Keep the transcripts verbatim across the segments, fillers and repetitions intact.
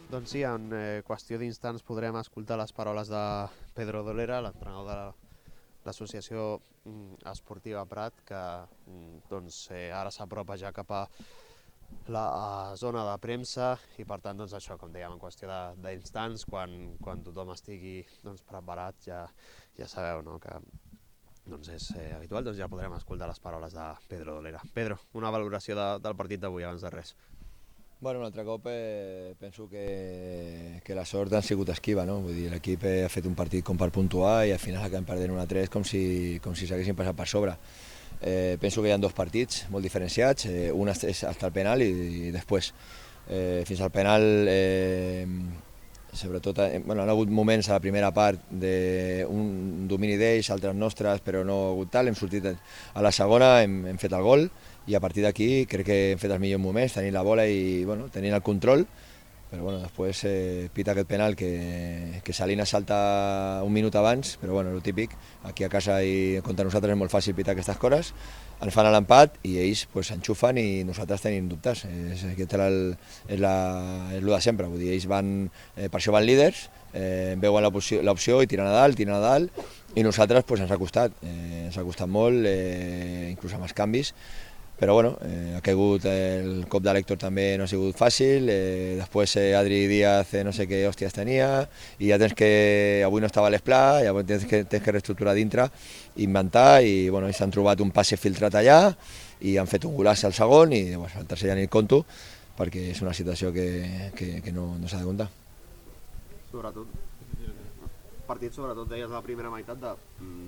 Doncs sí, en eh, qüestió d'instants podrem escoltar les paraules de Pedro Dolera, l'entrenador de l'associació mm, esportiva Prat, que mm, doncs, eh, ara s'apropa ja cap a la a zona de premsa i per tant, doncs, això, com dèiem, en qüestió d'instants, quan, quan tothom estigui doncs, preparat, ja, ja sabeu, no?, que doncs és eh, habitual, doncs ja podrem escoltar les paraules de Pedro Dolera. Pedro, una valoració de, del partit d'avui abans de res. Bueno, un altre cop eh, penso que, que la sort ha sigut esquiva, no? Vull dir, l'equip ha fet un partit com per puntuar i al final acabem perdent un a tres com si, com si s'haguessin passat per sobre. Eh, penso que hi ha dos partits molt diferenciats, eh, un és fins al penal i, i després. Eh, fins al penal, eh, sobretot, eh, bueno, han hagut moments a la primera part d'un domini d'ells, altres nostres, però no ha hagut tal, hem sortit a la segona, hem, hem fet el gol, i a partir d'aquí crec que hem fet els millors moments, tenint la bola i bueno, tenint el control, però bueno, després eh, pita aquest penal que, que Salinas salta un minut abans, però bueno, el típic, aquí a casa i contra nosaltres és molt fàcil pitar aquestes coses, ens fan l'empat i ells pues, s'enxufen i nosaltres tenim dubtes, és, aquest és, el, és, la, és el de sempre, vull dir, ells van, eh, per això van líders, eh, veuen l'opció i tiren a dalt, tiren a dalt, i nosaltres pues, ens ha costat, eh, ens ha costat molt, eh, inclús amb els canvis, però bueno, eh, ha caigut el cop de l'Héctor també no ha sigut fàcil, eh, després eh, Adri Díaz eh, no sé què hòsties tenia, i ja tens que, avui no estava a l'esplà, llavors tens que, tens que reestructurar dintre, inventar, i bueno, s'han trobat un passe filtrat allà, i han fet un golaç al segon, i bueno, el tercer ja ni el conto, perquè és una situació que, que, que no, no s'ha de comptar. Sobretot, partit sobretot deies la primera meitat de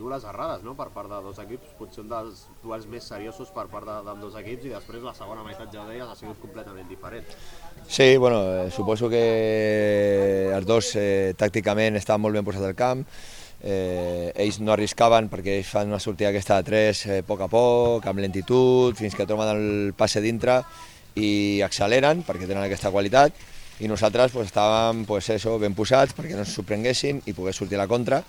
dues errades, no?, per part de dos equips, potser un dels duels més seriosos per part d'ambdós equips, i després la segona meitat, ja ho deies, ha sigut completament diferent. Sí, bueno, eh, suposo que els dos eh, tàcticament estaven molt ben posats al camp, eh, ells no arriscaven perquè ells fan una sortida aquesta de tres eh, a poc a poc, amb lentitud, fins que troben el passe dintre i acceleren perquè tenen aquesta qualitat, i nosaltres pues, estàvem pues, eso, ben posats perquè no ens sorprenguessin i pogués sortir a la contra,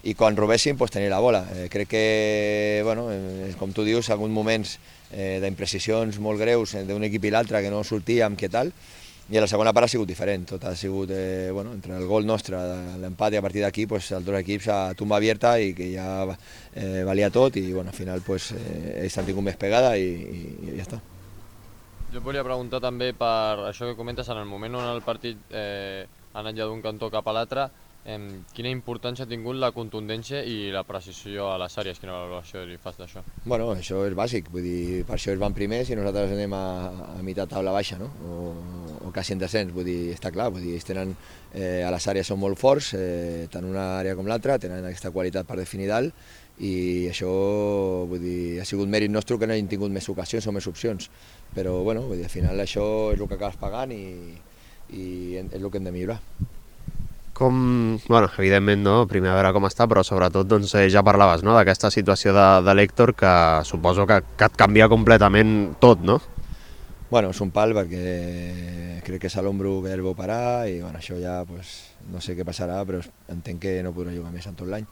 i quan robessin pues, tenir la bola. Eh, crec que, bueno, eh, com tu dius, ha hagut moments eh, d'imprecisions molt greus eh, d'un equip i l'altre que no sortíem, què tal, i a la segona part ha sigut diferent, tot ha sigut, eh, bueno, entre el gol nostre, l'empat, i a partir d'aquí pues, els dos equips a tumba abierta i que ja eh, valia tot, i bueno, al final pues, eh, ells han tingut més pegada i, i, i ja està. Jo et volia preguntar també per això que comentes, en el moment on el partit eh, ha anat ja d'un cantó cap a l'altre, eh, quina importància ha tingut la contundència i la precisió a les àrees? Quina valoració li fas d'això? Bueno, això és bàsic, vull dir, per això ells van primers i nosaltres anem a, a meitat taula baixa, no? O, o quasi en descens, vull dir, està clar, vull dir, ells tenen, eh, a les àrees són molt forts, eh, tant una àrea com l'altra, tenen aquesta qualitat per definir dalt, i això, vull dir, ha sigut mèrit nostre que no hagin tingut més ocasions o més opcions, però bueno, vull dir, al final això és el que acabes pagant i, i és el que hem de millorar. Com, bueno, evidentment, no? Primer a veure com està, però sobretot doncs, eh, ja parlaves, no?, d'aquesta situació de, de l'Héctor, que suposo que, que et canvia completament tot, no? Bueno, és un pal perquè crec que és a l'ombro que el vau parar i bueno, això ja pues, no sé què passarà, però entenc que no podrà jugar més en tot l'any.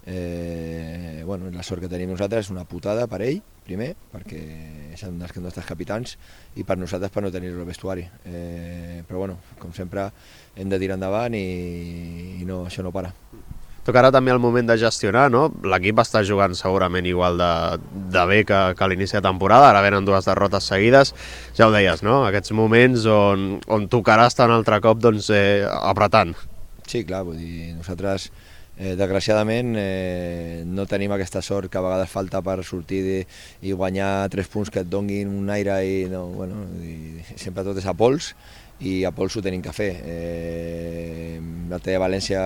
Eh, bueno, la sort que tenim nosaltres és una putada per ell, primer, perquè és un dels nostres capitans, i per nosaltres per no tenir-lo al vestuari. Eh, però bueno, com sempre hem de tirar endavant i, i no, això no para. Tocarà també el moment de gestionar, no? L'equip està jugant segurament igual de, de bé que, que a l'inici de temporada, ara venen dues derrotes seguides, ja ho deies, no? Aquests moments on, on tocarà estar un altre cop doncs, eh, apretant. Sí, clar, vull dir, nosaltres Eh, desgraciadament eh, no tenim aquesta sort que a vegades falta per sortir de, i guanyar tres punts que et donguin un aire i, no, bueno, i sempre tot és a pols i a pols ho tenim que fer. Eh, l'altre dia a València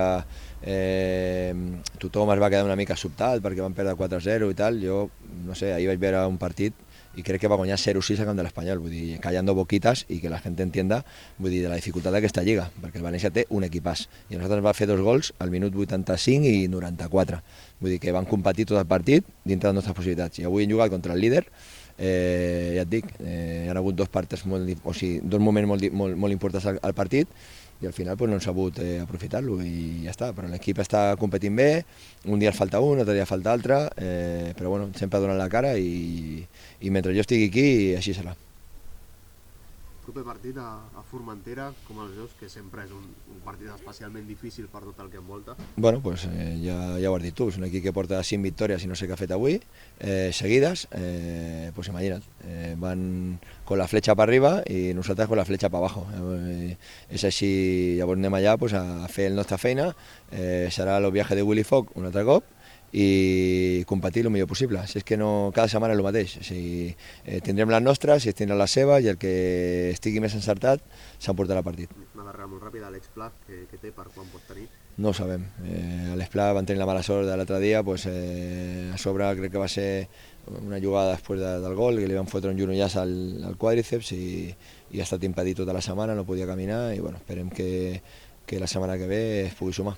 eh, tothom es va quedar una mica sobtat perquè van perdre quatre a zero i tal. Jo no sé, ahir vaig veure un partit i crec que va guanyar zero sis a camp de l'Espanyol, vull dir, callando boquitas i que la gent entienda, vull dir, de la dificultat d'aquesta lliga, perquè el València té un equipàs i nosaltres va fer dos gols al minut vuitanta-cinc i noranta-quatre, vull dir que van competir tot el partit dintre de les nostres possibilitats, i avui hem jugat contra el líder, eh, ja et dic, eh, hi ha hagut dos parts molt, o sigui, dos moments molt, molt, molt importants al, al partit, i al final pues, no han sabut eh, aprofitar-lo i ja està, però l'equip està competint bé, un dia falta un, un altre dia falta altre, eh, però bueno, sempre donant la cara i, i mentre jo estigui aquí, així serà. proper partit a, a Formentera, com els veus, que sempre és un, un partit especialment difícil per tot el que envolta? Bueno, pues eh, ja, ja ho has dit tu, és un equip que porta cinc victòries i no sé què ha fet avui, eh, seguides, eh, pues imagina't, eh, van con la fletxa per arriba i nosaltres con la fletxa per abajo. Eh, és així, llavors anem allà pues, a fer la nostra feina, eh, serà el viatge de Willy Fogg un altre cop, i competir el millor possible. Si és que no, cada setmana és el mateix. O sigui, eh, tindrem les nostres, si tindrem les seves, i el que estigui més encertat s'emportarà el partit. Una darrera molt ràpida, Àlex Pla, que, que té per quan pot tenir? No ho sabem. Eh, Àlex Pla van tenir la mala sort de l'altre dia, pues, eh, a sobre crec que va ser una jugada després de, del gol, que li van fotre un genollaç al, al quàdriceps i, i ha estat impedit tota la setmana, no podia caminar i bueno, esperem que, que la setmana que ve es pugui sumar.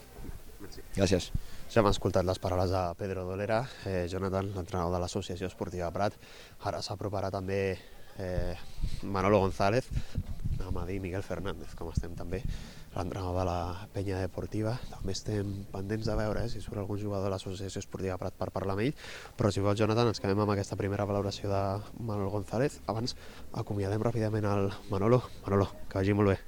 Merci. Gràcies. Ja hem escoltat les paraules de Pedro Dolera, eh, Jonathan, l'entrenador de l'Associació Esportiva Prat. Ara s'aproparà també eh, Manolo González, anem a dir Miguel Fernández, com estem també, l'entrenador de la Penya Deportiva. També estem pendents de veure eh, si surt algun jugador de l'Associació Esportiva Prat per parlar amb ell, però si vols, Jonathan, ens quedem amb aquesta primera valoració de Manolo González. Abans acomiadem ràpidament el Manolo. Manolo, que vagi molt bé.